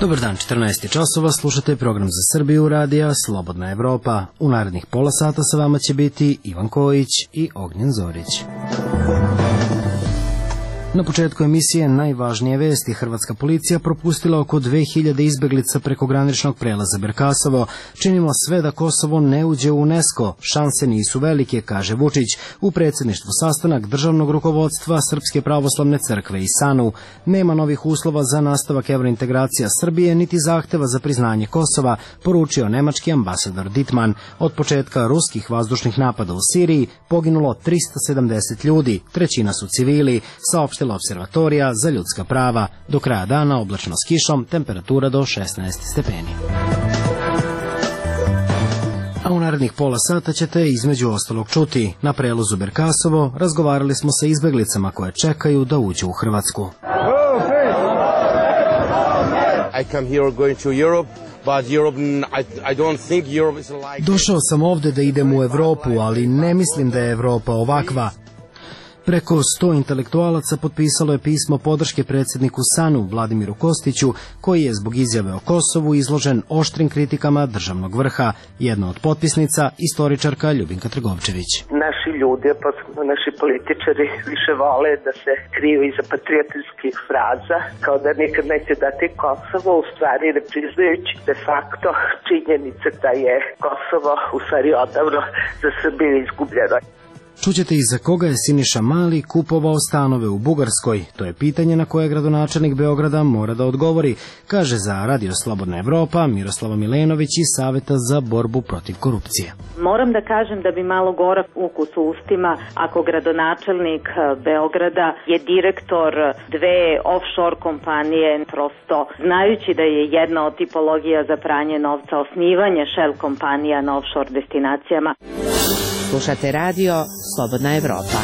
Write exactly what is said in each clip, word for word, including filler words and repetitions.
Dobar dan, četrnaest časova, slušate program za Srbiju radija Slobodna Evropa. U narednih pola sata sa vama će biti Ivan Kojić i Ognjen Zorić. Na početku emisije najvažnije vesti. Hrvatska policija propustila oko dve hiljade izbeglica preko graničnog prelaza Berkasovo. Činimo sve da Kosovo ne uđe u UNESCO. Šanse nisu velike, kaže Vučić. U predsjedništvu sastanak državnog rukovodstva Srpske pravoslavne crkve i SANU. Nema novih uslova za nastavak evrointegracija Srbije, niti zahteva za priznanje Kosova, poručio nemački ambasador Dittmann. Od početka ruskih vazdušnih napada u Siriji poginulo trista sedamdeset ljudi, trećina su civili, saopštila Observatorija za ljudska prava. Do kraja dana oblačno s kišom, temperatura do šesnaest stepeni. A u narednih pola sata ćete između ostalog čuti. Na prelazu Berkasovo razgovarali smo sa izbeglicama koje čekaju da uđu u Hrvatsku. I come here going to Europe. But Europe, I, I don't think Europe is like... Došao sam ovde da idem u Evropu, ali ne mislim da je Evropa ovakva. Preko sto intelektualaca potpisalo je pismo podrške predsjedniku SANU Vladimiru Kostiću, koji je zbog izjave o Kosovu izložen oštrim kritikama državnog vrha. Jedna od potpisnica, istoričarka Ljubinka Trgovčević. Naši ljudi, posebno naši političari, više vole da se kriju iza patriotskih fraza, kao da nikad neće dati Kosovo, u stvari ne priznajući de facto činjenice da je Kosovo u stvari odavno za Srbiju izgubljeno. Čućete i za koga je Siniša Mali kupovao stanove u Bugarskoj. To je pitanje na koje gradonačelnik Beograda mora da odgovori, kaže za Radio Slobodna Evropa Miroslava Milenović iz Saveta za borbu protiv korupcije. Moram da kažem da bi malo gorak ukus u ustima ako gradonačelnik Beograda je direktor dve offshore kompanije, prosto znajući da je jedna od tipologija za pranje novca osnivanje shell kompanija na offshore destinacijama. Slušate radio Slobodna Evropa.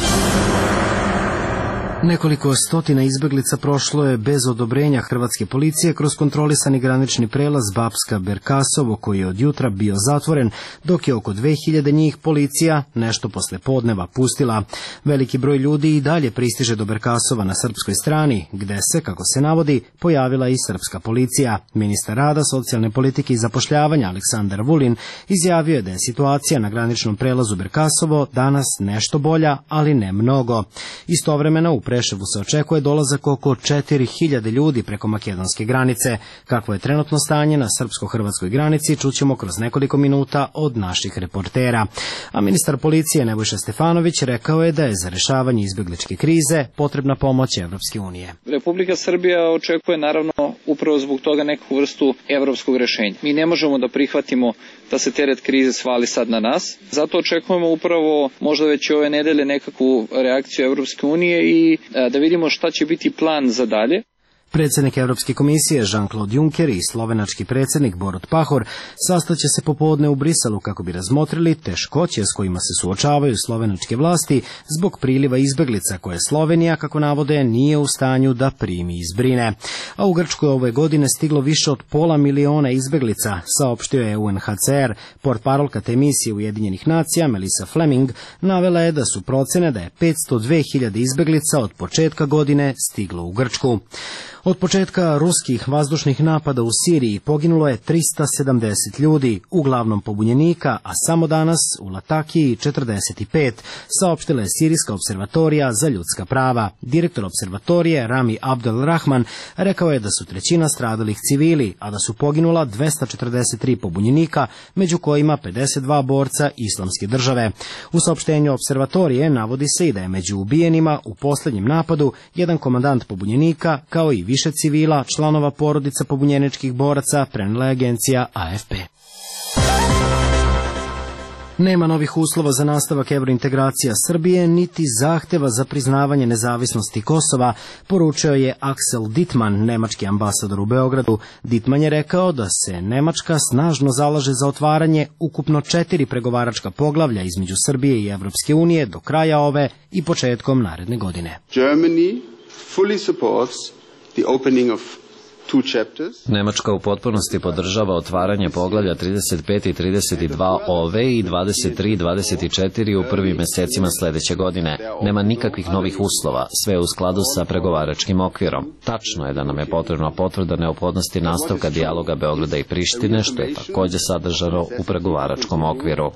Nekoliko stotina izbeglica prošlo je bez odobrenja hrvatske policije kroz kontrolisani granični prelaz Bapska-Berkasovo, koji je od jutra bio zatvoren, dok je oko dve hiljade njih policija nešto posle podneva pustila. Veliki broj ljudi i dalje pristiže do Berkasova na srpskoj strani, gde se, kako se navodi, pojavila i srpska policija. Ministar rada, socijalne politike i zapošljavanja Aleksandar Vulin izjavio je da je situacija na graničnom prelazu Berkasovo danas nešto bolja, ali ne mnogo. Istovremeno u Preševu se očekuje dolazak oko četiri hiljade ljudi preko makedonske granice. Kakvo je trenutno stanje na srpsko-hrvatskoj granici, čućemo kroz nekoliko minuta od naših reportera. A ministar policije Nebojša Stefanović rekao je da je za rešavanje izbegličke krize potrebna pomoć Evropske unije. Republika Srbija očekuje naravno upravo zbog toga neku vrstu evropskog rešenja. Mi ne možemo da prihvatimo da se teret krize svali sad na nas. Zato očekujemo upravo možda već ove nedelje nekakvu reakciju Evropske unije i da vidimo šta će biti plan za dalje. Predsjednik Evropske komisije Jean-Claude Juncker i slovenački predsjednik Borut Pahor sastaće se popodne u Briselu kako bi razmotrili teškoće s kojima se suočavaju slovenačke vlasti zbog priliva izbeglica koje Slovenija, kako navode, nije u stanju da primi i zbrine. A u Grčkoj ove godine stiglo više od pola miliona izbeglica, saopštio je U N H C R. Portparolka te emisije Ujedinjenih nacija Melissa Fleming navela je da su procene da je petsto dve hiljade izbeglica od početka godine stiglo u Grčku. Od početka ruskih vazdušnih napada u Siriji poginulo je trista sedamdeset ljudi, uglavnom pobunjenika, a samo danas u Latakiji četrdeset pet, saopštila je Sirijska observatorija za ljudska prava. Direktor observatorije Rami Abdel Rahman rekao je da su trećina stradalih civili, a da su poginula dvesta četrdeset tri pobunjenika, među kojima pedeset dva borca Islamske države. U saopštenju observatorije navodi se i da je među ubijenima u posljednjem napadu jedan komandant pobunjenika, kao i više civila, članova porodica pobunjeničkih boraca, prenela je agencija A F P. Nema novih uslova za nastavak evrointegracija Srbije, niti zahteva za priznavanje nezavisnosti Kosova, poručio je Axel Dittmann, nemački ambasador u Beogradu. Dittmann je rekao da se Nemačka snažno zalaže za otvaranje ukupno četiri pregovaračka poglavlja između Srbije i Evropske unije do kraja ove i početkom naredne godine. Germany fully supports the opening of Nemačka u potpunosti podržava otvaranje poglavlja trideset pet i trideset dva ove i dvadeset tri i dvadeset četiri u prvim mesecima sledeće godine. Nema nikakvih novih uslova, sve u skladu sa pregovaračkim okvirom. Tačno je da nam je potrebna potvrda neophodnosti nastavka dijaloga Beograda i Prištine, što je takođe sadržano u pregovaračkom okviru.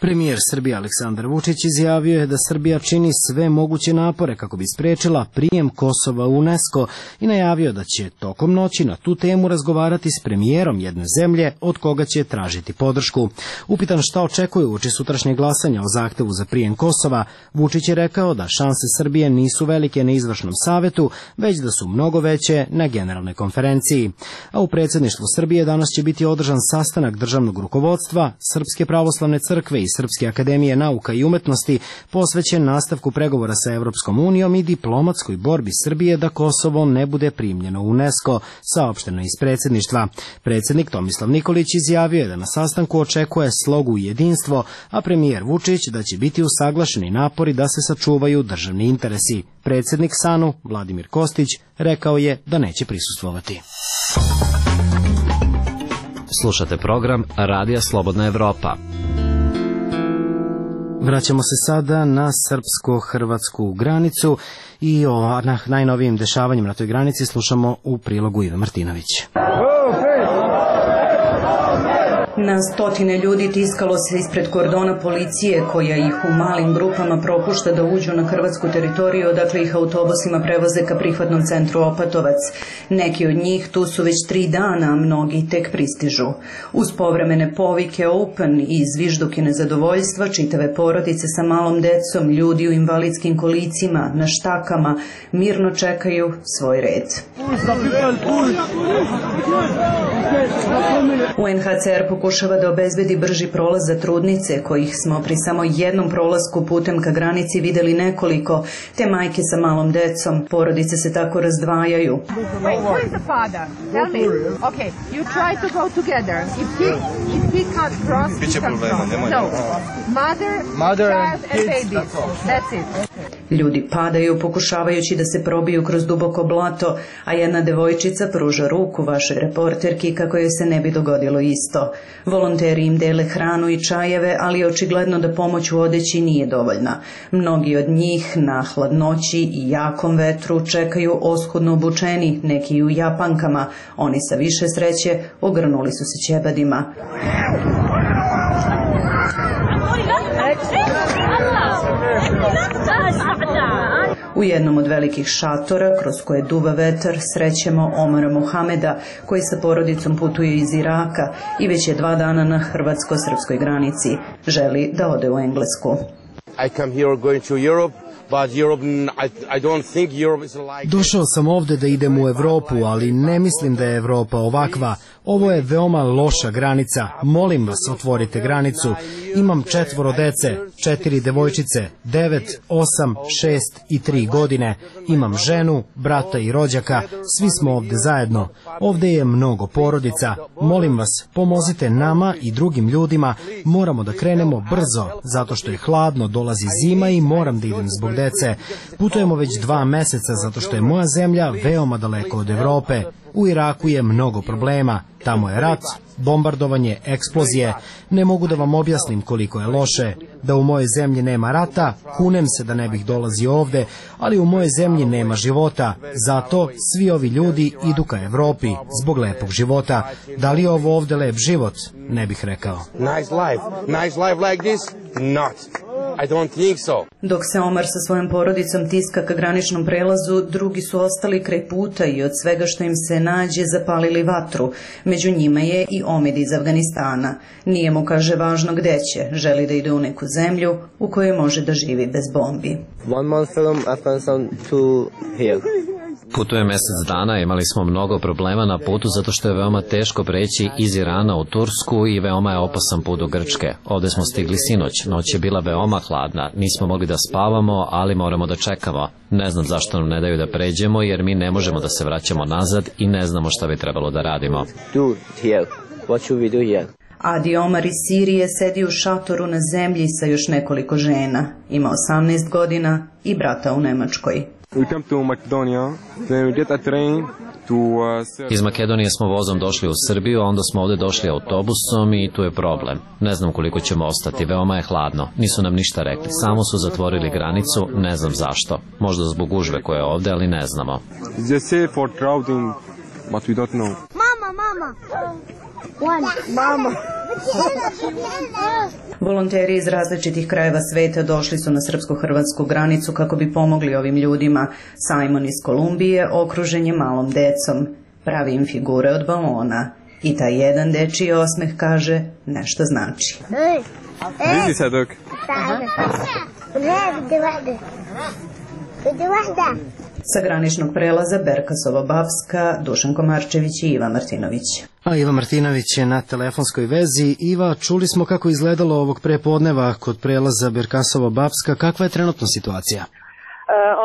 Premijer Srbije Aleksandar Vučić izjavio je da Srbija čini sve moguće napore kako bi sprečila prijem Kosova u UNESCO i najavio da će tokom noći na tu temu razgovarati s premijerom jedne zemlje od koga će tražiti podršku. Upitan šta očekuje uoči sutrašnjeg glasanja o zahtevu za prijem Kosova, Vučić je rekao da šanse Srbije nisu velike na izvršnom savetu, već da su mnogo veće na generalnoj konferenciji. A u predsjedništvu Srbije danas će biti održan sastanak državnog rukovodstva, Srpske pravoslavne crkve i Srpske akademije nauka i umetnosti posvećen nastavku pregovora sa Evropskom unijom i diplomatskoj borbi Srbije da Kosovo ne bude primljeno u UNESCO, saopšteno iz predsjedništva. Predsjednik Tomislav Nikolić izjavio je da na sastanku očekuje slogu i jedinstvo, a premijer Vučić da će biti usaglašeni napori da se sačuvaju državni interesi. Predsjednik S A N U, Vladimir Kostić, rekao je da neće prisustvovati. Slušate program Radija Slobodna Evropa. Vraćamo se sada na srpsko-hrvatsku granicu i o najnovijim dešavanjima na toj granici slušamo u prilogu Ive Martinović. Na stotine ljudi tiskalo se ispred kordona policije koja ih u malim grupama propušta da uđu na hrvatsku teritoriju, odakle ih autobusima prevoze ka prihvatnom centru Opatovac. Neki od njih tu su već tri dana, a mnogi tek pristižu. Uz povremene povike open i zvižduke nezadovoljstva, čitave porodice sa malom decom, ljudi u invalidskim kolicima, na štakama, mirno čekaju svoj red. U en ha ce er pokušava da obezbedi brži prolaz za trudnice, kojih smo pri samo jednom prolasku putem ka granici videli nekoliko, te majke sa malom decom. Porodice se tako razdvajaju. Ljudi padaju pokušavajući da se probiju kroz duboko blato, a jedna devojčica pruža ruku vašoj reporterki kako joj se ne bi dogodilo isto. Volonteri im dele hranu i čajeve, ali je očigledno da pomoć u odeći nije dovoljna. Mnogi od njih na hladnoći i jakom vetru čekaju oskudno obučeni, neki u japankama. Oni sa više sreće ogrnuli su se ćebadima. U jednom od velikih šatora, kroz koje duva vetar, srećemo Omara Mohameda, koji sa porodicom putuje iz Iraka i već je dva dana na hrvatsko-srpskoj granici. Želi da ode u Englesku. I come here going to Europe. Došao sam ovde da idem u Evropu, ali ne mislim da je Evropa ovakva. Ovo je veoma loša granica. Molim vas, otvorite granicu. Imam četvoro dece, četiri devojčice, devet, osam, šest i tri godine. Imam ženu, brata i rođaka. Svi smo ovde zajedno. Ovde je mnogo porodica. Molim vas, pomozite nama i drugim ljudima. Moramo da krenemo brzo, zato što je hladno, dolazi zima i moram da idem zbog dece. Putujemo već dva meseca zato što je moja zemlja veoma daleko od Evrope. U Iraku je mnogo problema. Tamo je rat, bombardovanje, eksplozije. Ne mogu da vam objasnim koliko je loše. Da u mojoj zemlji nema rata, kunem se da ne bih dolazio ovde, ali u mojoj zemlji nema života. Zato svi ovi ljudi idu ka Evropi zbog lepog života. Da li je ovo ovde lep život? Ne bih rekao. Nice life. Nice life like this? Not. I don't think so. Dok se Omar sa svojom porodicom tiska ka graničnom prelazu, drugi su ostali kraj puta i od svega što im se nađe zapalili vatru. Među njima je i Omid iz Afganistana. Nije mu, kaže, važno gde će. Želi da ide u neku zemlju u kojoj može da živi bez bombi. One month from Afghanistan to here. Putuje mesec dana, imali smo mnogo problema na putu zato što je veoma teško preći iz Irana u Tursku i veoma je opasan put do Grčke. Ovde smo stigli sinoć, noć je bila veoma hladna, nismo mogli da spavamo, ali moramo da čekamo. Ne znam zašto nam ne daju da pređemo jer mi ne možemo da se vraćamo nazad i ne znamo šta bi trebalo da radimo. Do here. What should we do here? Adi Omar iz Sirije sedi u šatoru na zemlji sa još nekoliko žena. Ima osamnaest godina i brata u Nemačkoj. Iz Makedonije smo vozom došli u Srbiju, a onda smo ovde došli autobusom i tu je problem. Ne znam koliko ćemo ostati, veoma je hladno. Nisu nam ništa rekli, samo su zatvorili granicu, ne znam zašto. Možda zbog gužve koja je ovde, ali ne znamo. Mama, mama. Mama. Volonteri iz različitih krajeva sveta došli su na srpsko-hrvatsku granicu kako bi pomogli ovim ljudima. Simon iz Kolumbije okružen je malom decom. Pravi im figure od balona. I taj jedan dečiji osmeh kaže nešto znači. Vidi se dok. Sa graničnog prelaza Berkasova-Bapska, Dušan Komarčević i Iva Martinović. A Iva Martinović je na telefonskoj vezi. Iva, čuli smo kako je izgledalo ovog prepodneva kod prelaza Berkasova-Bapska. Kakva je trenutno situacija?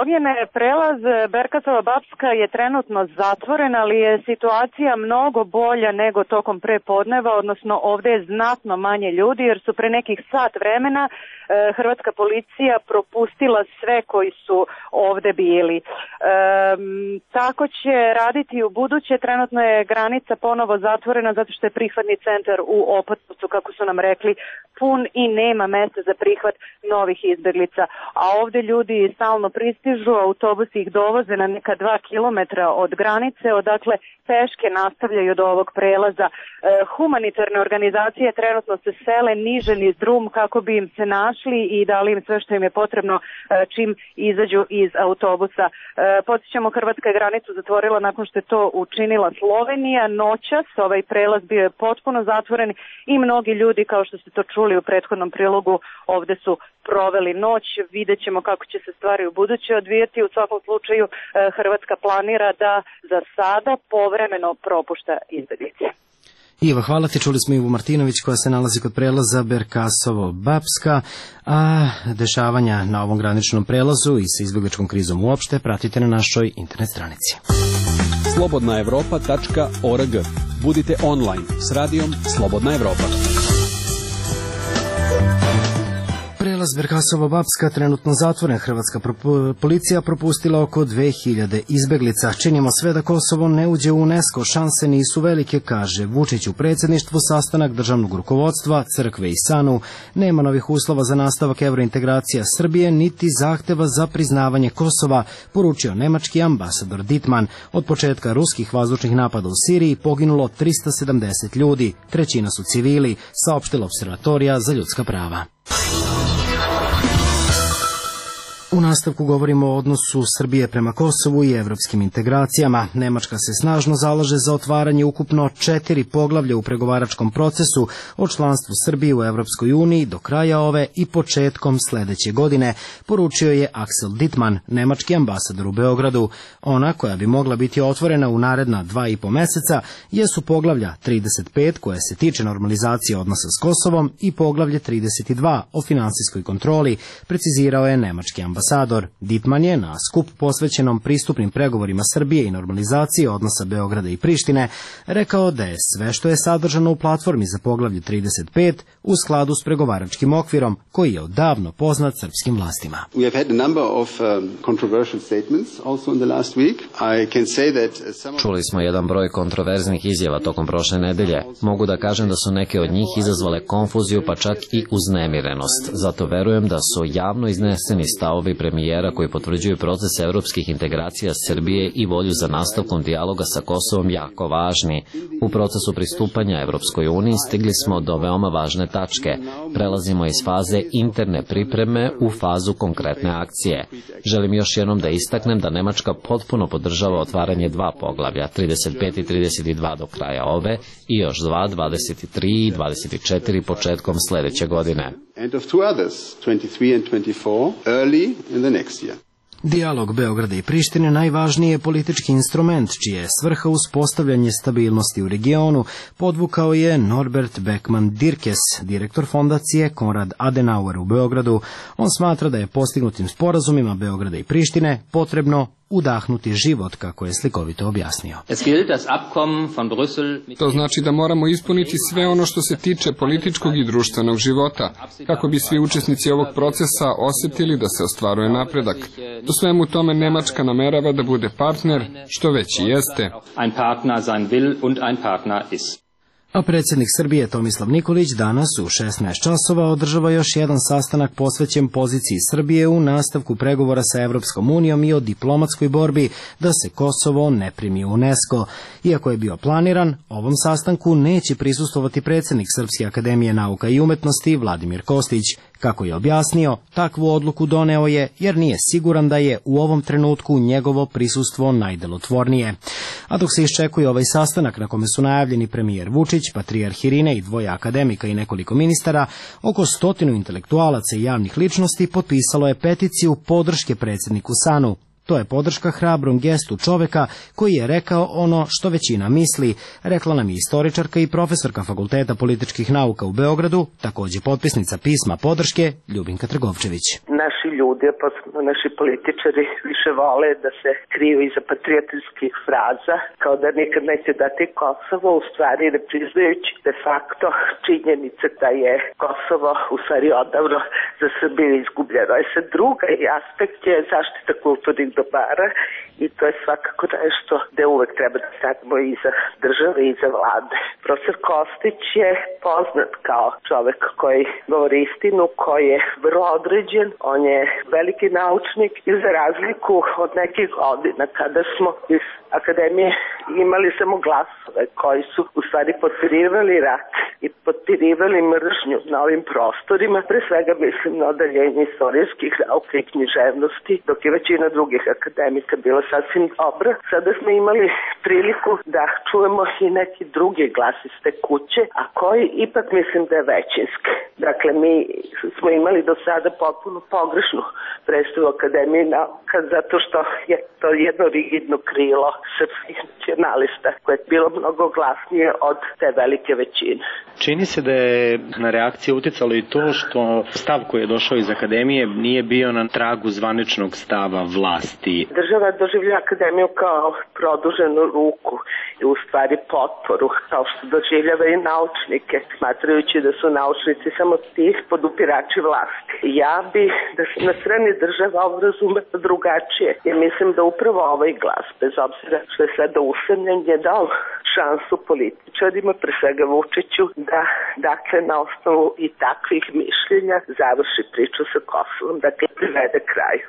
Ognjene, prelaz Berkasova-Bapska je trenutno zatvoren, ali je situacija mnogo bolja nego tokom prepodneva, odnosno ovde je znatno manje ljudi jer su pre nekih sat vremena hrvatska policija propustila sve koji su ovde bili. E, tako će raditi u buduće. Trenutno je granica ponovo zatvorena zato što je prihvatni centar u Opatovcu, kako su nam rekli, pun i nema mesta za prihvat novih izbeglica. A ovde ljudi stalno pristižu, autobusi ih dovoze na neka dva kilometra od granice, odakle peške nastavljaju do ovog prelaza. E, humanitarne organizacije trenutno se sele niže niz drum kako bi im se našli i dali im sve što im je potrebno e, čim izađu iz autobusa. E, podsjećamo, Hrvatska je granicu zatvorila nakon što je to učinila Slovenija. Noćas ovaj prelaz bio je potpuno zatvoren i mnogi ljudi, kao što ste to čuli u prethodnom prilogu, ovde su proveli noć. Vidjet ćemo kako će se stvari u buduće odvijati. U svakom slučaju e, Hrvatska planira da za sada povremeno propušta izbeglice. Iva, hvala ti. Čuli smo Ivu Martinović koja se nalazi kod prelaza Berkasovo-Bapska, a dešavanja na ovom graničnom prelazu i sa izbjegličkom krizom uopšte pratite na našoj internet stranici. slobodna evropa tačka org. Budite online s radijom Slobodna Evropa. Prelaz Berkasovo-Bapska trenutno zatvoren. Hrvatska policija propustila oko dve hiljade izbeglica. Činimo sve da Kosovo ne uđe u UNESCO. Šanse nisu velike, kaže Vučić u predsjedništvu. Sastanak državnog rukovodstva, crkve i SANU. Nema novih uslova za nastavak evrointegracija Srbije, niti zahteva za priznavanje Kosova, poručio nemački ambasador Dittmann. Od početka ruskih vazdušnih napada u Siriji poginulo trista sedamdeset ljudi. Trećina su civili, saopštila Observatorija za ljudska prava. U nastavku govorimo o odnosu Srbije prema Kosovu i evropskim integracijama. Nemačka se snažno zalaže za otvaranje ukupno četiri poglavlja u pregovaračkom procesu o članstvu Srbije u Evropskoj uniji do kraja ove i početkom sledeće godine, poručio je Axel Dittmann, nemački ambasador u Beogradu. Ona koja bi mogla biti otvorena u naredna dva i po meseca jesu poglavlja trideset pet koje se tiče normalizacije odnosa s Kosovom i poglavlje trideset dva o finansijskoj kontroli, precizirao je nemački ambasador. Ambasador Dittmann je na skup posvećenom pristupnim pregovorima Srbije i normalizaciji odnosa Beograda i Prištine rekao da je sve što je sadržano u platformi za poglavlje trideset pet u skladu s pregovaračkim okvirom koji je odavno poznat srpskim vlastima. We have had a number of um, controversial statements also in the last week. I can say that some... Čuli smo jedan broj kontroverznih izjava tokom prošle nedelje. Mogu da kažem da su neke od njih izazvale konfuziju pa čak i uznemirenost. Zato verujem da su javno izneseni stavovi premijera koji potvrđuju proces evropskih integracija Srbije i volju za nastavkom dijaloga sa Kosovom jako važni. U procesu pristupanja Evropskoj uniji stigli smo do veoma važne tačke. Prelazimo iz faze interne pripreme u fazu konkretne akcije. Želim još jednom da istaknem da Nemačka potpuno podržava otvaranje dva poglavlja, trideset pet i trideset dva do kraja ove i još dva, dvadeset tri i dvadeset četiri početkom sledeće godine. And of two others, twenty-three and twenty-four, early in the next year. Dijalog Beograda i Prištine najvažniji je politički instrument, čija je svrha uspostavljanje stabilnosti u regionu, podvukao je Norbert Beckman Dirkes, direktor fondacije Konrad Adenauer u Beogradu. On smatra da je postignutim sporazumima Beograda i Prištine potrebno udahnuti život, kako je slikovito objasnio. To znači da moramo ispuniti sve ono što se tiče političkog i društvenog života, kako bi svi učesnici ovog procesa osjetili da se ostvaruje napredak. U svemu tome Nemačka namerava da bude partner, što već i jeste. A predsjednik Srbije Tomislav Nikolić danas u šesnaest časova održava još jedan sastanak posvećen poziciji Srbije u nastavku pregovora sa Evropskom unijom i o diplomatskoj borbi da se Kosovo ne primi u UNESCO. Iako je bio planiran, ovom sastanku neće prisustvovati predsjednik Srpske akademije nauka i umetnosti Vladimir Kostić. Kako je objasnio, takvu odluku doneo je jer nije siguran da je u ovom trenutku njegovo prisustvo najdelotvornije. A dok se iščekuje ovaj sastanak na kome su najavljeni premijer Vučić, patrijarh Irine i dvoje akademika i nekoliko ministara, oko stotinu intelektualaca i javnih ličnosti potpisalo je peticiju podrške predsjedniku Sanu. To je podrška hrabrom gestu čoveka koji je rekao ono što većina misli, rekla nam je istoričarka i profesorka Fakulteta političkih nauka u Beogradu, također potpisnica pisma podrške Ljubinka Trgovčević. Naši ljudi, posebno naši političari, više vole da se kriju iza patriotskih fraza, kao da nikad neće dati Kosovo, u stvari ne priznajući de facto činjenice da je Kosovo u stvari odavno za Srbiju izgubljeno. E sad druga aspekt je zaštita kulturnih dobara i to je svakako nešto gde uvek treba da stanemo iza države i iza vlade. Profesor Kostić je poznat kao čovek koji govori istinu, koji je vrlo određen, on je veliki naučnik i za razliku od nekih godina kada smo iz akademije imali samo glasove koji su u stvari potpirivali rat i potpirivali mržnju na ovim prostorima, pre svega mislim na odeljenje istorijskih nauka i književnosti, dok je većina drugih akademika bila sasvim dobra. Sada smo imali priliku da čujemo i neki drugi glas iz te kuće, a koji ipak mislim da je većinski. Dakle, mi smo imali do sada potpuno pogrešnu predstavu Akademije nauka, zato što je to jedno rigidno krilo srpskih nacionalista koje je bilo mnogo glasnije od te velike većine. Čini se da je na reakciju uticalo i to što stav koji je došao iz Akademije nije bio na tragu zvaničnog stava vlasti. Država doživlja Akademiju kao produženu ruku i u stvari potporu, kao što doživljava i naučnike, smatrajući da su naučnici samo ti podupirači vlasti. Ja bih da se na strani država ovo razume drugačije i mislim da upravo ovaj glas, bez obzira što je sada usamljen, je dao šansu političarima, pre svega Vučiću, da dakle na osnovu i takvih mišljenja završi priču sa Kosovom, dakle privede kraju.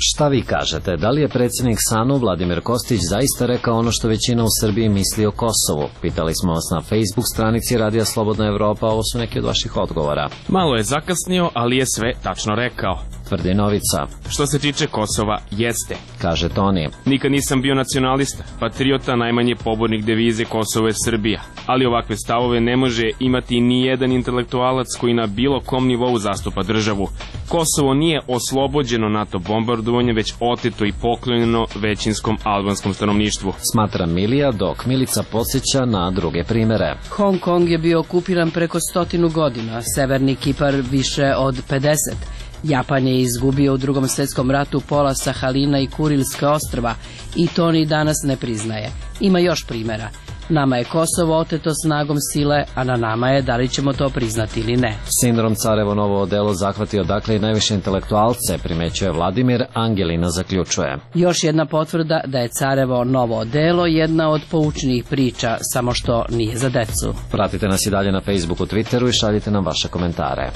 Šta vi kažete? Da li je predsjednik SANU Vladimir Kostić zaista rekao ono što većina u Srbiji misli o Kosovu? Pitali smo vas na Facebook stranici Radija Slobodna Evropa, ovo su neki od vaših odgovora. Malo je zakasnio, ali je sve tačno rekao. Tvrdi Novica. Što se tiče Kosova, jeste. Kaže Toni. Nikad nisam bio nacionalista, patriota, najmanje pobornik devize Kosovo je Srbija. Ali ovakve stavove ne može imati ni jedan intelektualac koji na bilo kom nivou zastupa državu. Kosovo nije oslobođeno NATO bombardovanje, već oteto i poklonjeno većinskom albanskom stanovništvu. Smatra Milija, dok Milica podsjeća na druge primere. Hong Kong je bio okupiran preko stotinu godina, Severni Kipar više od pedeset. Japan je izgubio u drugom svjetskom ratu pola Sahalina i Kurilske ostrva i to ni danas ne priznaje. Ima još primjera. Nama je Kosovo oteto snagom sile, a na nama je da li ćemo to priznati ili ne. Sindrom Carevo novo odelo zahvatio dakle i najviše intelektualce, primećuje Vladimir, Angelina zaključuje. Još jedna potvrda da je Carevo novo odelo jedna od poučnijih priča, samo što nije za decu. Pratite nas i dalje na Facebooku, Twitteru i šaljite nam vaše komentare.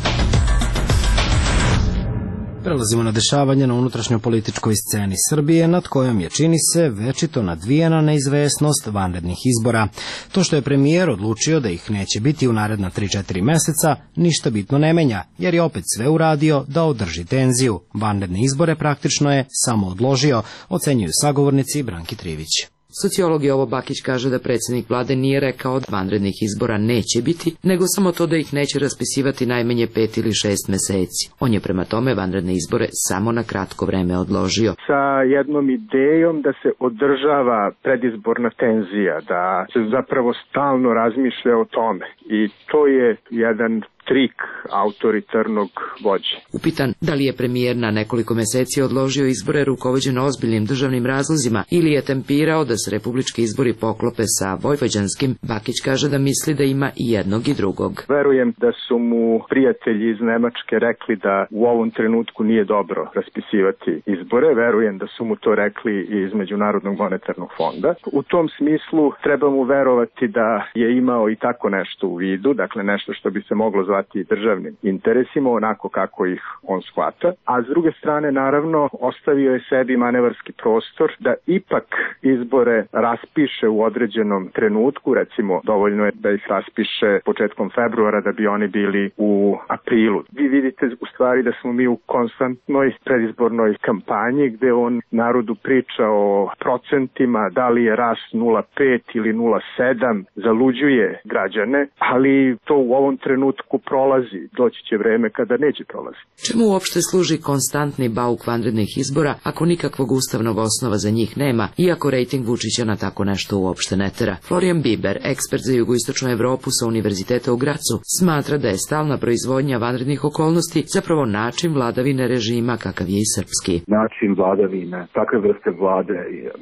Prelazimo na dešavanje na unutrašnjoj političkoj sceni Srbije, nad kojom je, čini se, večito nadvijena neizvesnost vanrednih izbora. To što je premijer odlučio da ih neće biti u naredna tri četiri meseca, ništa bitno ne menja, jer je opet sve uradio da održi tenziju. Vanredne izbore praktično je samo odložio, ocenjuju sagovornici Branki Trivić. Sociolog Jovo Bakić kaže da predsjednik vlade nije rekao da vanrednih izbora neće biti, nego samo to da ih neće raspisivati najmanje pet ili šest meseci. On je prema tome vanredne izbore samo na kratko vreme odložio. Sa jednom idejom da se održava predizborna tenzija, da se zapravo stalno razmišlja o tome. I to je jedan trik autoritarnog vođe. Upitan da li je premijer na nekoliko meseci odložio izbore rukovođen ozbiljnim državnim razlozima ili je tempirao da se republički izbori poklope sa vojvođanskim, Bakić kaže da misli da ima i jednog i drugog. Verujem da su mu prijatelji iz Nemačke rekli da u ovom trenutku nije dobro raspisivati izbore. Verujem da su mu to rekli i iz Međunarodnog monetarnog fonda. U tom smislu treba mu verovati da je imao i tako nešto u vidu, dakle nešto što bi se moglo zvati državnim interesima, onako kako ih on shvata. A s druge strane, naravno, ostavio je sebi manevarski prostor da ipak izbore raspiše u određenom trenutku, recimo dovoljno je da ih raspiše početkom februara da bi oni bili u aprilu. Vi vidite u stvari da smo mi u konstantnoj predizbornoj kampanji gde on narodu priča o procentima, da li je rast nula zarez pet ili nula zarez sedam, zaluđuje građane, ali to u ovom trenutku prolazi. Doći će vreme kada neće prolaziti. Čemu uopšte služi konstantni bauk vanrednih izbora ako nikakvog ustavnog osnova za njih nema, iako rejting Vučića na tako nešto uopšte ne tera? Florian Biber, ekspert za jugoistočnu Evropu sa Univerziteta u Gracu, smatra da je stalna proizvodnja vanrednih okolnosti zapravo način vladavine režima kakav je i srpski. Način vladavine, takve vrste vlade,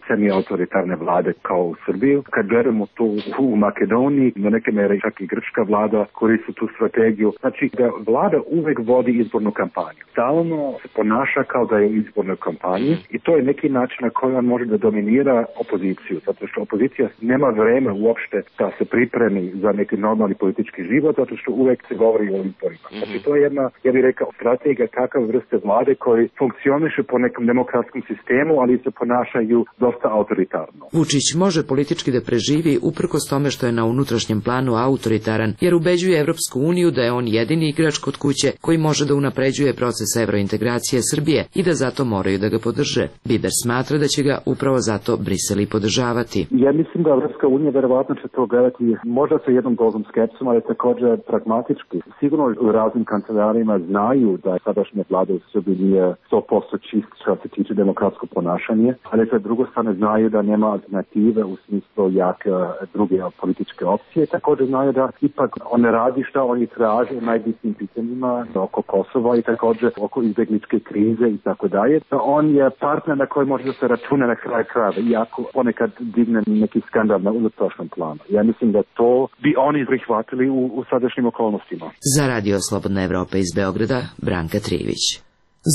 semi-autoritarne vlade kao u Srbiji. Kad gledamo to u Makedoniji, na neke mere čak i grčka vlada koristi tu strategiju. Znači da vlada uvek vodi izbornu kampanju. Stalno se ponaša kao da je u izbornoj kampanji i to je neki način na koji on može da dominira opoziciju. Zato što opozicija nema vreme uopšte da se pripremi za neki normalni politički život, zato što uvek se govori o izborima. Znači to je jedna, ja bih rekao, strategija kakav vrste vlade koji funkcioniše po nekom demokratskom sistemu, ali se ponašaju dosta autoritarno. Vučić može politički da preživi uprkos tome što je na unutrašnjem planu autoritaran, jer ubeđuje Evropsku uniju da je on jedini igrač kod kuće koji može da unapređuje proces evrointegracije Srbije i da zato moraju da ga podrže. Biber smatra da će ga upravo zato Brisel i podržavati. Ja mislim da Evropska unija verovatno će to gledati možda sa jednom dozom skepsom, ali također pragmatički. Sigurno u raznim kancelarima znaju da sadašnja vlada u Srbiji nije sto posto čist što se tiče demokratsko ponašanje, ali sa druge strane znaju da nema alternative u smislu jake druge političke opcije. Također znaju da ipak on ne radi šta oni traže u najbitnijim pitanjima oko Kosova i također oko izbjegličke krize i tako dalje. On je partner na koji može da se računa na kraj krajeva, iako ponekad digne neki skandal na unutrašnjem planu. Ja mislim da to bi oni prihvatili u, u sadašnjim okolnostima. Za Radio Slobodna Evropa iz Beograda, Branka Trivić.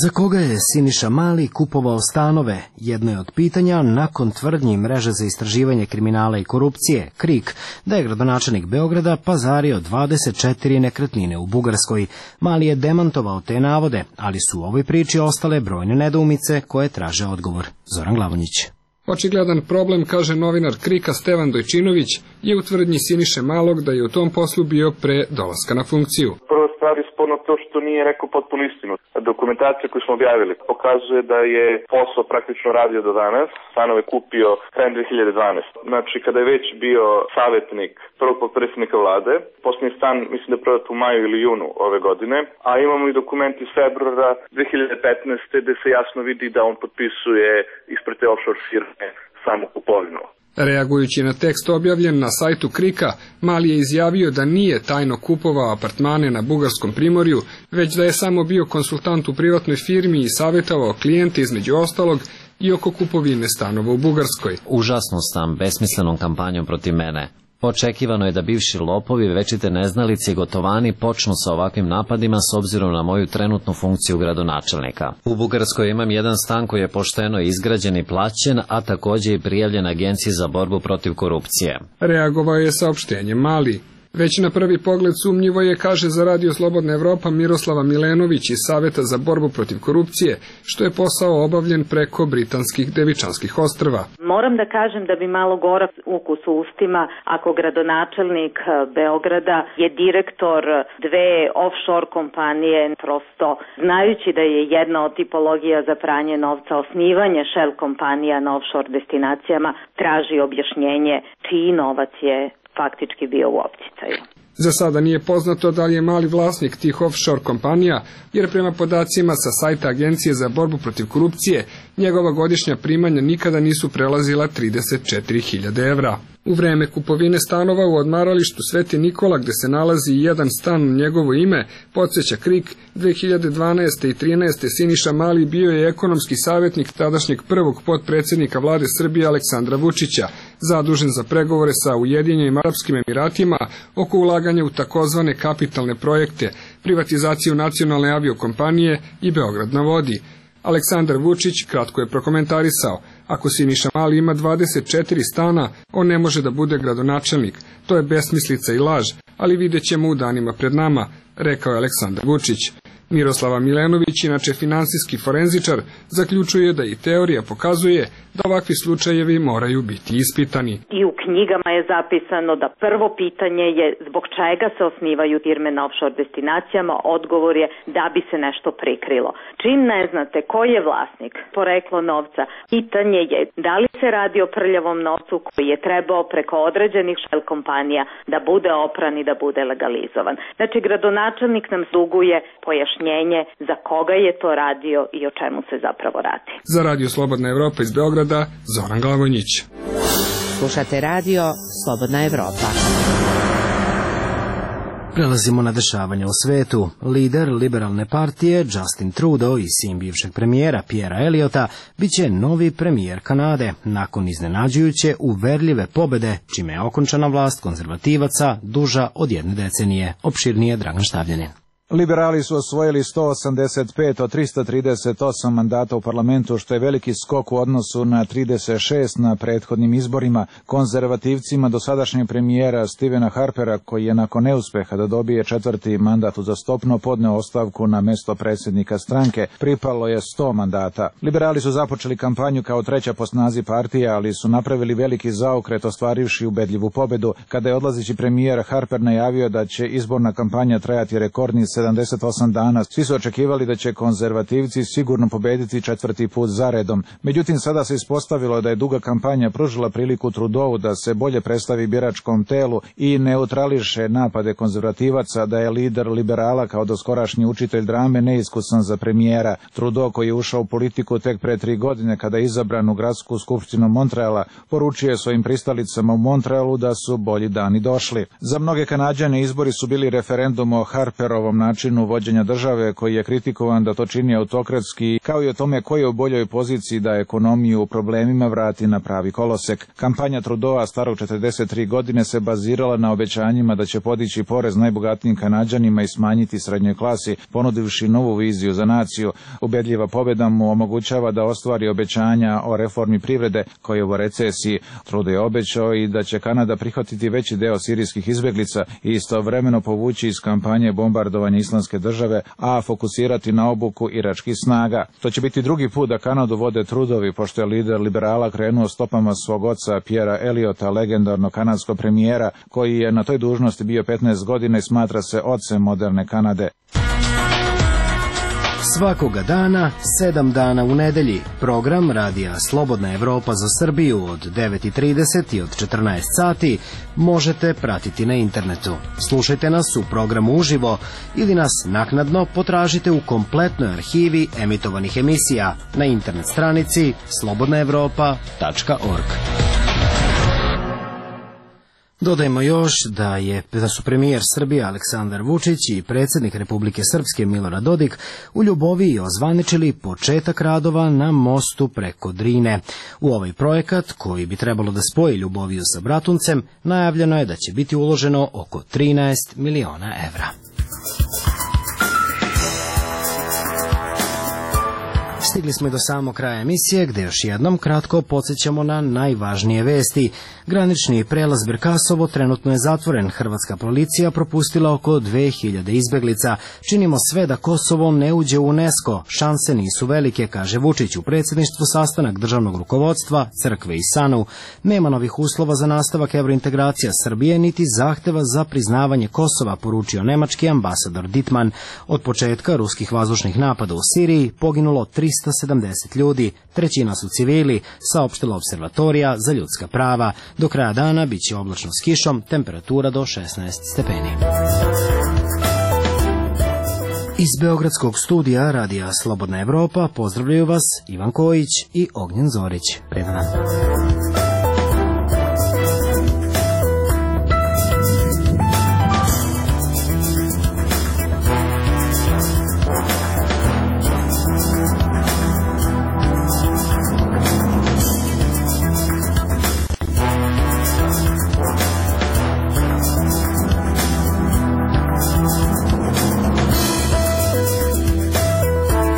Za koga je Siniša Mali kupovao stanove? Jedno je od pitanja nakon tvrdnji mreže za istraživanje kriminala i korupcije, KRIK, da je gradonačelnik Beograda pazario dvadeset četiri nekretnine u Bugarskoj. Mali je demantovao te navode, ali su u ovoj priči ostale brojne nedoumice koje traže odgovor. Zoran Glavonjić. Očigledan problem, kaže novinar Krika Stevan Dojčinović, je u tvrdnji Siniše Malog da je u tom poslu bio pre dolaska na funkciju. Prvo stvar je sporno to što nije rekao potpuno istinu. Dokumentacija koju smo objavili pokazuje da je posao praktično radio do danas. Stanove kupio krajem dve hiljade dvanaeste. Znači kada je već bio savjetnik prvog potpredsjednika vlade, posljednji stan mislim da je prodat u maju ili junu ove godine, a imamo i dokument iz februara dve hiljade petnaeste gde se jasno vidi da on potpisuje ispred te offshore firme samu kupovinu. Reagujući na tekst objavljen na sajtu Krika, Mali je izjavio da nije tajno kupovao apartmane na bugarskom primorju, već da je samo bio konsultant u privatnoj firmi i savjetovao klijente između ostalog i oko kupovine stanova u Bugarskoj. Užasnu sam besmislenom kampanjom protiv mene. Očekivano je da bivši lopovi, večite neznalice i gotovani počnu sa ovakvim napadima s obzirom na moju trenutnu funkciju gradonačelnika. U Bugarskoj imam jedan stan koji je pošteno izgrađen i plaćen, a također i prijavljen Agenciji za borbu protiv korupcije. Reagovao je saopštenjem Mali. Već na prvi pogled sumnjivo je, kaže za Radio Slobodna Evropa Miroslava Milenović iz Saveta za borbu protiv korupcije, što je posao obavljen preko britanskih Devičanskih ostrva. Moram da kažem da bi malo gorak ukus u ustima ako gradonačelnik Beograda je direktor dve offshore kompanije, prosto znajući da je jedna od tipologija za pranje novca osnivanje shell kompanija na offshore destinacijama, traži objašnjenje čiji novac je faktički bio u opticaju. Za sada nije poznato da li je Mali vlasnik tih offshore kompanija, jer prema podacima sa sajta Agencije za borbu protiv korupcije, njegova godišnja primanja nikada nisu prelazila trideset četiri hiljade evra. U vreme kupovine stanova u odmaralištu Sveti Nikola, gde se nalazi i jedan stan u njegovo ime, podsjeća Krik, dve hiljade dvanaeste i trinaeste. Siniša Mali bio je ekonomski savjetnik tadašnjeg prvog potpredsjednika vlade Srbije Aleksandra Vučića, zadužen za pregovore sa Ujedinjenim Arapskim Emiratima oko ulaganja u takozvane kapitalne projekte, privatizaciju nacionalne aviokompanije i Beograd na vodi. Aleksandar Vučić kratko je prokomentarisao: ako Siniša Mali ima dvadeset četiri stana, on ne može da bude gradonačelnik. To je besmislica i laž, ali vidjet ćemo u danima pred nama, rekao je Aleksandar Vučić. Miroslava Milenović, inače finansijski forenzičar, zaključuje da i teorija pokazuje da ovakvi slučajevi moraju biti ispitani. I u knjigama je zapisano da prvo pitanje je zbog čega se osnivaju firme na offshore destinacijama, odgovor je da bi se nešto prikrilo. Čim ne znate ko je vlasnik, poreklo novca, pitanje je da li se radi o prljavom novcu koji je trebao preko određenih shell kompanija da bude opran i da bude legalizovan. Znači, gradonačelnik nam duguje pojašnjenje za koga je to radio i o čemu se zapravo radi. Za Radio Slobodna Evropa iz Beograda, Zoran Glavonjić. Slušate Radio Slobodna Evropa. Prelazimo na dešavanja u svetu. Lider liberalne partije Justin Trudeau i sin bivšeg premijera Pierrea Elliota biće novi premijer Kanade nakon iznenađujuće uverljive pobede, čime je okončana vlast konzervativaca duža od jedne decenije. Opširnije Dragan Štavljanin. Liberali su osvojili sto osamdeset pet od trista trideset osam mandata u parlamentu, što je veliki skok u odnosu na trideset šest na prethodnim izborima. Konzervativcima dosadašnjeg premijera Stevena Harpera, koji je nakon neuspeha da dobije četvrti mandat uzastopno podneo ostavku na mesto predsjednika stranke, pripalo je sto mandata. Liberali su započeli kampanju kao treća po snazi partija, ali su napravili veliki zaokret ostvarivši ubedljivu pobedu. Kada je odlazeći premijer Harper najavio da će izborna kampanja trajati rekordni sedamdeset osam dana, svi su očekivali da će konzervativci sigurno pobediti četvrti put zaredom. Međutim, sada se ispostavilo da je duga kampanja pružila priliku Trudeau da se bolje predstavi biračkom telu i neutrališe napade konzervativaca da je lider liberala kao doskorašnji učitelj drame neiskusan za premijera. Trudeau, koji je ušao u politiku tek pre tri godine kada je izabran u gradsku skupštinu Montreala, poručio je svojim pristalicama u Montrealu da su bolji dani došli. Za mnoge Kanađane izbori su bili referendum o Harperovom načinu vođenja države, koji je kritikovan da to čini autokratski, kao i o tome koji je u boljoj poziciji da ekonomiju u problemima vrati na pravi kolosek. Kampanja Trudeaua, starog četrdeset tri godine, se bazirala na obećanjima da će podići porez najbogatijim Kanađanima i smanjiti srednjoj klasi, ponudivši novu viziju za naciju. Ubedljiva pobjeda mu omogućava da ostvari obećanja o reformi privrede koja je u recesiji. Trudeau je obećao i da će Kanada prihvatiti veći deo sirijskih izbjeglica i istovremeno povući iz kampanje bombardovanja Islamske države, a fokusirati na obuku iračkih snaga. To će biti drugi put da Kanadu vode Trudeauvi, pošto je lider liberala krenuo stopama svog oca Pierrea Elliota, legendarnog kanadskog premijera, koji je na toj dužnosti bio petnaest godina i smatra se ocem moderne Kanade. Svakoga dana, sedam dana u nedelji, program Radija Slobodna Evropa za Srbiju od devet i trideset i od četrnaest sati možete pratiti na internetu. Slušajte nas u programu uživo ili nas naknadno potražite u kompletnoj arhivi emitovanih emisija na internet stranici slobodna evropa tačka org. Dodajmo još da je da su premijer Srbije Aleksandar Vučić i predsjednik Republike Srpske Milorad Dodik u Ljuboviji ozvaničili početak radova na mostu preko Drine. U ovaj projekat, koji bi trebalo da spoji Ljuboviju sa Bratuncem, najavljeno je da će biti uloženo oko trinaest miliona evra. Stigli smo i do samog kraja emisije, gde još jednom kratko podsjećamo na najvažnije vesti. Granični prelaz Berkasovo trenutno je zatvoren. Hrvatska policija propustila oko dve hiljade izbeglica. Činimo sve da Kosovo ne uđe u UNESCO. Šanse nisu velike, kaže Vučić u predsjedništvu sastanak državnog rukovodstva, crkve i SANU. Nema novih uslova za nastavak evrointegracija Srbije, niti zahteva za priznavanje Kosova, poručio nemački ambasador Dittmann. Od početka ruskih vazdušnih napada u Siriji poginulo trista sedamdeset ljudi, trećina su civili, saopštila Observatorija za ljudska prava. Do kraja dana biće oblačno s kišom, temperatura do šesnaest stepeni. Iz Beogradskog studija Radija Slobodna Evropa pozdravljaju vas Ivan Kojić i Ognjen Zorić. Predan dan.